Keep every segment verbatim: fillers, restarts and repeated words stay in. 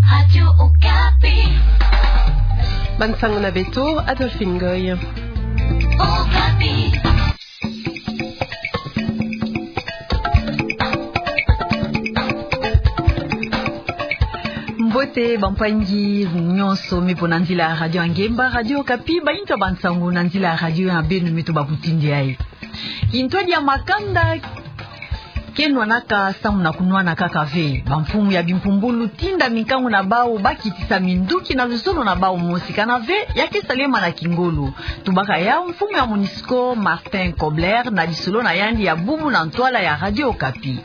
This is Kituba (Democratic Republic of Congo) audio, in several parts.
Radio Okapi. Bansangu na beto, Adolphine Ngoy. Okapi. Mbote bampangi nyonso me pona nzila ya Radio Ngemba, Radio Okapi, bayintu ya bansangu na nzila ya radio ya beno me tubabutindi ayi. Kintwadi ya makanda ke nwanaka samu na kunwana kaka ve. Bamfumu ya bimpumbulu tinda minkangu na bawu ba kitisa minduki na luzolo na bawu mosi, kana ve ya ke salema na kingolo. Tubaka yawu mfumu ya MONUSCO, Martin Kobler, na lisolo na yandi ya bubu na ntwala ya Radio Okapi.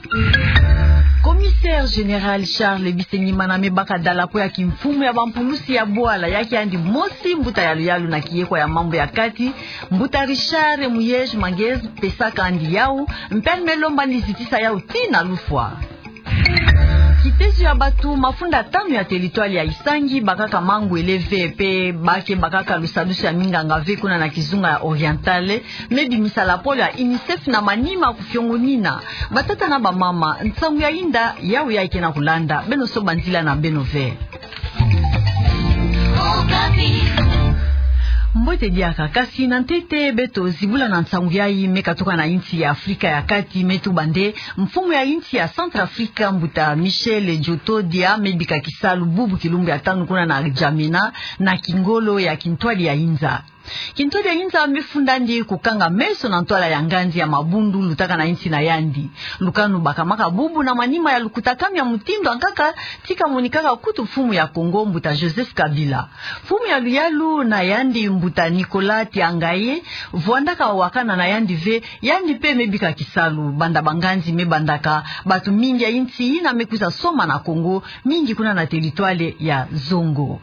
Commissaire général Charles Bisengimana me baka dalapo ya kimfumu ya bampulusi ya bwala, ya ke yandi mosi mbuta ya luyalu na kiyekwa ya mambu ya kati, mbuta Richard Muyej Manguez, pesaka yandi yawu, mpe yandi me lomba yandi zitisa yawu tii na lufwa. Kitezo ya batu mafunda tanu ya territoire ya Isangi bakaka mangwele ve mpe ba ke bakaka lusadusu ya minganga ve kuna na kizunga ya Oriental, me bimisa lapolo ya UNICEF na manima kufiongonina. Batata na bamama, nsangu ya yinda, yawu ya ke na kulanda, beno soba nzila na beno ve. Mbote diaka, kasi na ntete beto zibula na nsangu yayi me katuka na yinsi ya Afrika ya Kati, me tuba nde mfumu ya yinsi ya Centrafrique, mbuta Michel Djotodia, me bika kisalu bubu kilumbu ya tanu kuna na Djamena, na kingolo ya kintwadi ya inza. Kintwadi ya inza me funda yandi kukanga meso na ntwala ya nganzi ya mabundu lutaka na yinsi na yandi. Lukanu bakamaka bubu na manima ya lukutakanu ya mutindu ya nkaka ti kamonikaka kutu mfumu ya Congo, mbuta Joseph Kabila. Mfumu ya luyalu na yandi, mbuta Nicolas Tiangaye, vwandaka wakana na yandi ve, yandi mpe me bika kisalu, banda banganzi me bandaka, batu mingi ya yinsi yina me kwiza soma na Congo, mingi kuna na territoire ya Zongo.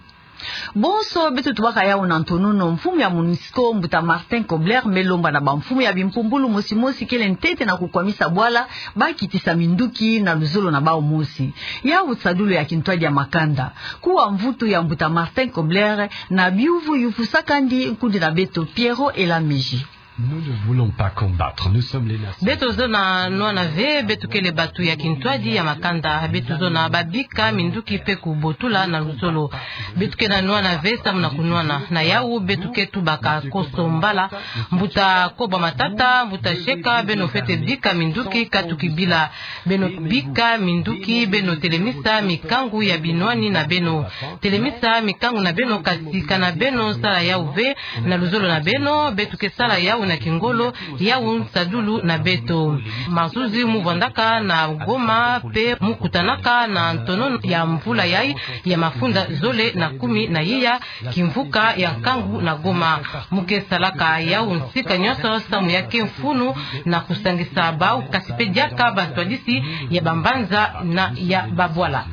Bonso beto tubaka yawu na ntonono, mfumu ya MONUSCO, mbuta Martin Kobler, me lomba na bamfumu ya bimpumbulu mosi mosi kele ntete na kukwamisa bwala, ba kitisa minduki na luzolo na bawu mosi. Yawu nsadulu ya kintwadi ya makanda. Kuwa mvutu ya mbuta Martin Kobler, na biuvu yufusaka yandi nkundi na beto Pierrot Elamiji. Nous ne voulons pas combattre. Nous sommes les nations. Beto zona nwana ve, beto kele batu ya kintwadi ya makanda, beto zona babika minduki mpe kubotula na luzolo. Beto ke na nwana ve samu na kunwana. Na yawu beto ke tubaka koso mbala. Mbuta Koba Matata, mbuta Sheka, beno fwete bika minduki katuki bila. Beno bika minduki, beno telemisa mikangu ya binwani na beno. Telemisa mikangu na beno, kasi kana beno sala yawu ve na luzolo na beno, beto ke sala yawu na kingolo, yawu nsadulu na beto. Mazuzi mu vwandaka na Goma, mpe mu kutanaka na ntonono ya mvula yayi ya mafunda zole na kumi na iya, kimvuka ya nkangu na Goma. Mu ke salaka yawu nsika nyonso samu ya ke mfunu na kusangisa bawu, kasi mpe diaka bantwadisi ya bambanza na ya babwala.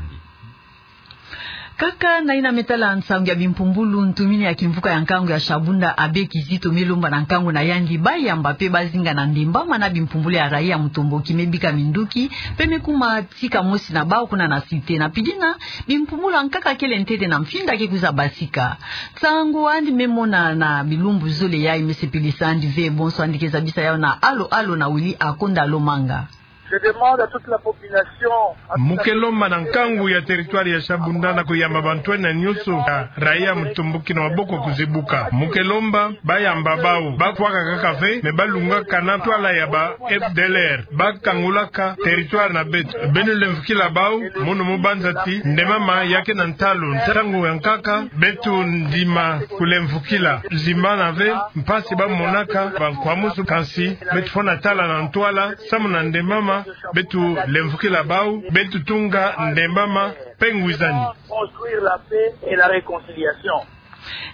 Kaka na yina me tala nsangu ya bimpumbulu, ntumini ya kimvuka ya nkangu ya Shabunda, Abbé Kizito, me lomba na nkangu na yandi bayamba mpe bazinga na ndembama na bimpumbulu ya raia mutomboki me bika minduki, mpe me kuma tika mosi na bawu kuna na cité. Na pidina, bimpumbulu ya nkaka kele ntete na mfinda ke kwiza basika. Nsangu yandi me mona na bilumbu zole yayi me sepelisa yandi ve, bonso yandi ke zabisa yawu na Alo Alo na Willy Akonda Lomanga. Je demande à toute la population, à toute la population. Mu ke lomba na nkangu ya territoire ya Shabunda na kuyamba bantwenia nyonso ya raia mutomboki na maboko kuzibuka. Mu ke lomba bayamba bawu, bafwaka kaka ve, mais balungaka na ntwala ya ba F D L R, bakangulaka territoire na beto. Beno lemvukila bawu, munu mu banza ti ndembama ya ke na ntalu. Ntangu ya nkaka, beto ndima kulemvukila. Zimbana ve mpasi bamonaka bankwamusu, kansi beto fwana tala na ntwala, samu na ndembama, beto lemvukila bawu, beto tunga ndembama mpe ngwizani. Construire la paix et la réconciliation.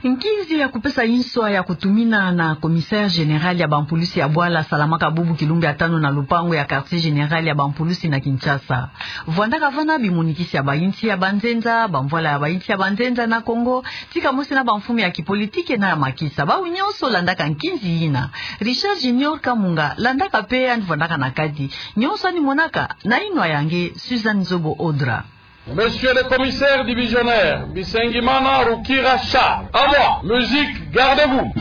Nkinzi ya kupesa nswa ya kutumina na commissaire général ya bampulusi ya bwala salamaka bubu kilumbu ya tanu na lupangu ya quartier général ya bampulusi na Kinshasa. Vwandaka vana bimonikisi ya bayinsi ya banzenza, bamvwala ya bayinsi ya banzenza na Congo, tika mosi na bamfumu ya kipolitiki na ya makisa. Bawu nyonso landaka nkinzi yina. Richard Junior Kamunga landaka mpe yandi vwandaka na kati. Nyonso yandi monaka, na yinwa ya nge Suzanne Zobo Odra. Monsieur le commissaire divisionnaire, Bisengimana Rukira Charles. À moi, musique, gardez-vous.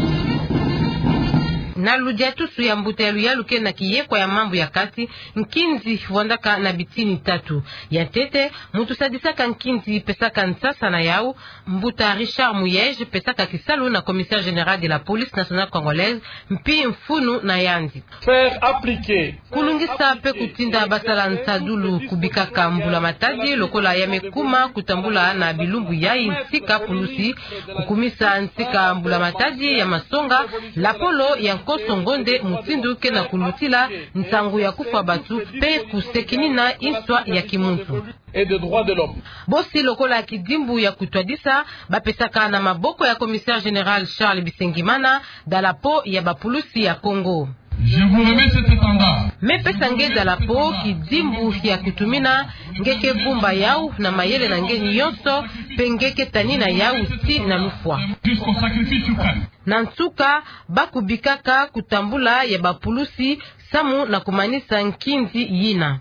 Na ludiatusu ya mbuta ya luyalu kena kiyekwa ya mambu ya kati, nkinzi vwandaka na bitini tatu. Ya ntete, muntu sadisaka nkinzi pesaka nsasa na yau, mbuta Richard Muyej pesaka kisalu na Commissaire général de la Police nationale congolaise, mpi mfunu na yandi. Faire appliquer. Kulungisa pe kutinda basala nsadulu kubikaka mbula matadi lokola ya me kuma kutambula na bilumbu yayi nsika pulusi, kukumisa nsika mbula matadi ya masonga, lapolo ya nkoso ngonde mutindu kena kulutila nsangu ya kufwa batu pe kusekinina inswa ya kimuntu. Et des droits de l'homme. Bosi lokola kidimbu ya kutwadisa, bapesaka na maboko ya Commissaire général Charles Bisengimana dalapo ya bapulusi ya Congo. Je vous remets cet étendard. Me pesa nge dalapo, kidimbu ya kutumina, nge ke bumba yau na mayele na nge nyonso, pe nge ke tanina yau tii na lufwa. Jusqu'au sacrifice suprême. Na nsuka, ba kubikaka kutambula ya bapulusi, samu na kumanisa nkinzi yina.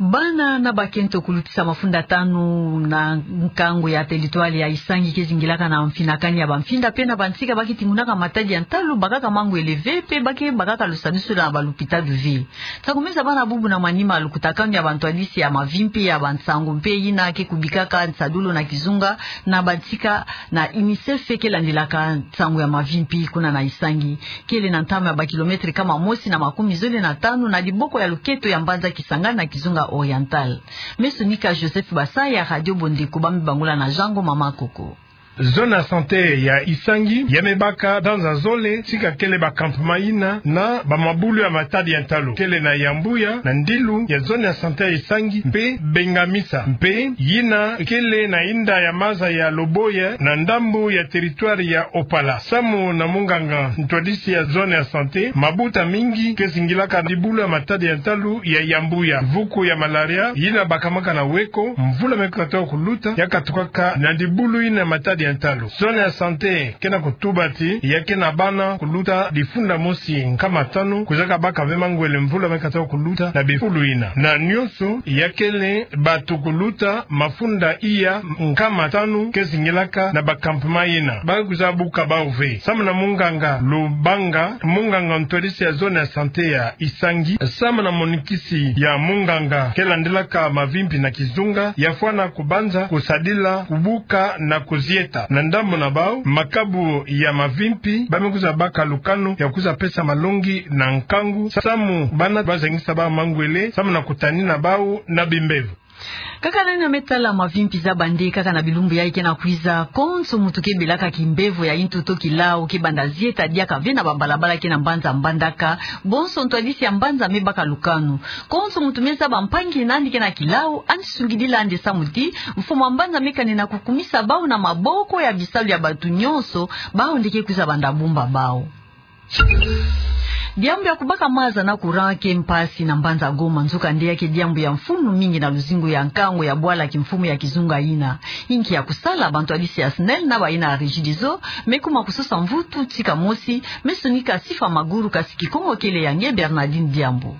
Bana na bakento kulutisa mafunda tanu na nkangu ya territoire ya Isangi ke zingilaka na mfinakani ya bamfinda pe na bantsika ba ke tingunaka matadi ya ntalu, bakaka mangwele ve pe ba ke bakaka lusadisu na balupita du ve. Sakumisa bana bubu na manima lukutakanu ya bantwadisi ya mavimpi ya bansangu mpe yina ke kubikaka nsadulu na kizunga na bantsika na UNICEF ke landilaka nsangu ya mavimpi kuna na Isangi. Kele na ntama ya bakilometre kama mosi na makumi zole na tanu na diboko ya luketo ya mbanza Kisangani na kizunga Oriental. Me sonika Joseph Basaya, Radio Bondeko, ba me bangula na Jango Mama Koko. Zone ya santé ya Isangi ya me baka ndanza zole tika kele ba campement yina na bamabulu ya matadi ya ntalu. Kele na Yambuya, na ndilu ya zone ya santé ya Isangi, mpe Bengamisa, mpe yina kele na inda ya maza ya Loboya na ndambu ya territoire ya Opala. Samu na munganga ntwadisi ya zone ya santé, mabuta mingi ke zingilaka dibulu ya matadi ya ntalu ya Yambuya. Vuku ya malaria yina bakamaka na weko, mvula me kata kuluta, ya katukaka na dibulu yina ya matadi ya ntalu. Zone ya santé ke na kutuba ti ya ke na bana kuluta difunda mosi nkama tanu, kuzaka baka ve mangwele mvula me kata kuluta na bifulu yina. Na nyonso ya kele batu kuluta mafunda iya nkama tanu ke zingilaka na ba campement yina. Ba kwiza buka bau ve. Samu na munganga Lubanga, munganga ntwadisi ya zone ya santé ya Isangi, samu na monikisi ya munganga ke landilaka mavimpi na kizunga, ya fwana kubanza kusadila, kubuka na kuzieta. Na ndambu na bau, makabu ya mavimpi, ba me kwiza baka lukanu ya kwiza pesa malongi na nkangu, samu bana ba zangisa bau mangwele, samu na kutanina bau na bimbevo. Kaka nani ya me tala mavimpi za bande kaka na bilumbu yayi ke na kwiza, konso muntu ke belaka kimbevo ya ntoto, kilau ke banda zieta diaka ve na babalabala ke na mbanza Mbandaka, bonso ntwadisi ya mbanza me baka lukanu. Konso muntu me zaba mpangi na yandi ke na kilau, yandi sungidila yandi samu ti mfumu ya mbanza me kanina kukumisa bau na maboko ya bisalu ya batu nyonso, bau nde ke kwiza banda bumba bau. Diambu ya kubaka maza na courant ke mpasi na mbanza Goma, nzokande ya ke diambu ya mfunu mingi na luzingu ya nkangu ya bwala kimfumu ya kizunga yina. Inki ya kusala? Bantwadisi ya SNEL na bayina ya Regideso me kuma kusosa mvutu tika mosi. Me sonika Sifa Maguru, kasi Kikongo kele ya nge Bernardine Diambu.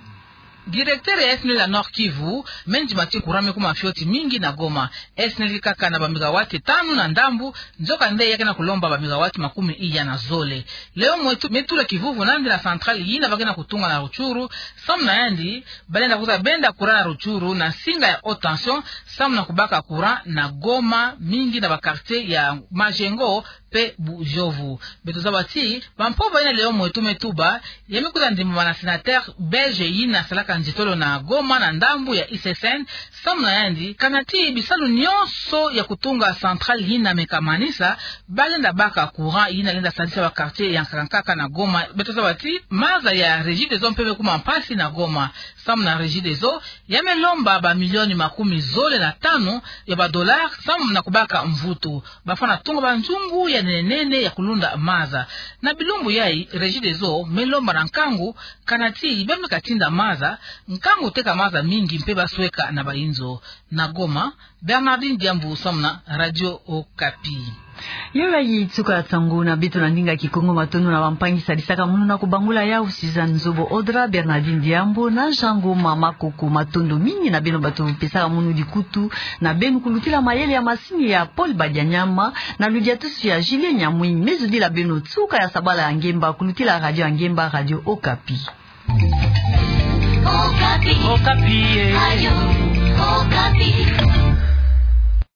Directeur ya SNEL ya Nord-Kivu me ndima ti courant me kuma fioti mingi na Goma. SNEL ke kaka na ba mégawatts tanu na ndambu, nzokande ya ke na kulomba ba mégawatts makumi iya na zole. Léon Mwetu me tula kivuvu nandi na centrale yina ba ke na kutunga na Rutshuru, samu na yandi ba lenda kwiza benda courant na Rutshuru na nsinga ya haute tension, samu na kubaka courant na Goma, mingi na ba quartier ya Majengo pe Bujovu. Beto zaba ti bampova yina Léon Mwetu me tuba, ya me kwiza ndimbama na sénateur belge yina salaka nzitolo na Goma na ndambu ya ICSN, samu na yandi, kana ti bisalu nyonso ya kutunga centrale yina me kamanisa, ba lenda baka courant yina lenda sadisa ba quartier ya nkaka nkaka na Goma. Beto zaba ti maza ya Regideso mpe me kuma mpasi na Goma. Samu na Regideso, ya me lomba ba milioni makumi zole na tanu ya ba dollars samu na kubaka mvutu. Ba fwana tunga ba nzungu ya nene nene ya kulunda maza. Na bilumbu yayi, Regideso me lomba na nkangu, kana ti ba me katinda maza, Nkangu teka maza mingi mpe basweka na bayinzo. Na Goma, Bernardine Diambu, samu na Radio Okapi. Yo yayi tsuka sango na beto na ndinga Kikongo. Matondo na bampangi sadisaka munu na kubangula yawu, Suzanne Nzobo Odra, Bernardine Diambu na Jean Ngoma Makoko. Matondo mingi na beno bato pesaka munu dikutu na beno kulutila mayele ya masini ya Paul Badianyama na ludiatusu ya Julien Nyamwini. Mezudila beno tsuka ya sabala ya ngemba kulutila radio ya ngemba, Radio Okapi. Okapi. Okapi, eh. Radio Okapi.